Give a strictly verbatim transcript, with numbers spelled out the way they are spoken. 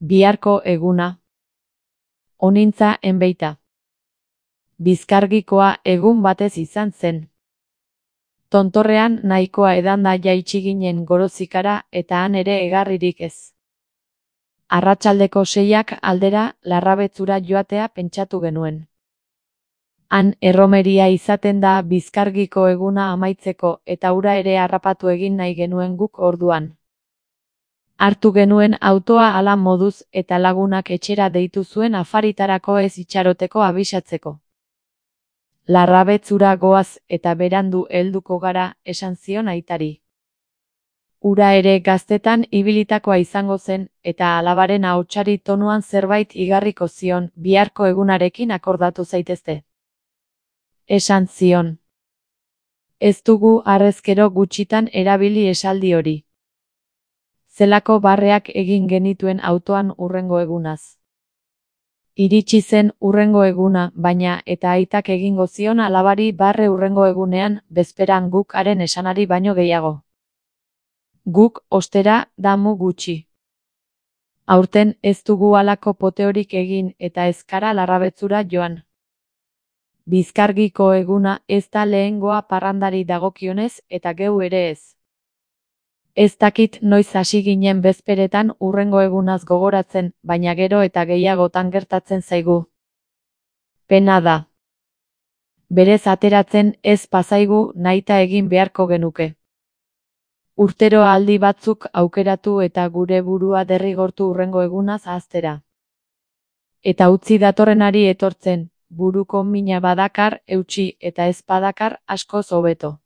Biharko eguna. Onintza enbeita. Bizkargikoa egun batez izan zen. Tontorrean nahikoa edanda jaitsi ginen Gorozikara eta han ere egarririk ez. Arratsaldeko seiak aldera Larrabetzura joatea pentsatu genuen. Han erromeria izaten da Bizkargiko eguna amaitzeko eta hura ere harrapatu egin nahi genuen guk orduan. Hartu genuen autoa hala moduz eta lagunak etxera deitu zuen afaritarako ez itxaroteko abisatzeko. Larrabetzura goaz eta berandu helduko gara, esan zion aitari. Hura ere gaztetan ibilitakoa izango zen eta alabaren ahotsari tonuan zerbait igarriko zion, biharko egunarekin akordatu zaitezte. Esan zion. Ez dugu harrezkero gutxitan erabili esaldi hori. Zelako barreak egin genituen autoan hurrengo egunaz. Iritsi zen hurrengo eguna, baina eta aitak egingo zion alabari barre hurrengo egunean, bezperan guk haren esanari baino gehiago. Guk, ostera, damu gutxi. Aurten ez dugu halako poteorik egin eta ezkara Larrabetzura joan. Bizkargiko eguna ez da lehengoa parrandari dagokionez eta geu ere ez. Ez dakit noiz hasi ginen bezperetan hurrengo egunaz gogoratzen, baina gero eta gehiagotan gertatzen zaigu. Pena da. Berez ateratzen ez bazaigu nahita egin beharko genuke. Urtero aldi batzuk aukeratu eta gure burua derrigortu hurrengo egunaz ahaztera. Eta utzi datorrenari etortzen, buruko mina badakar, eutsi eta ez badakar askoz hobeto.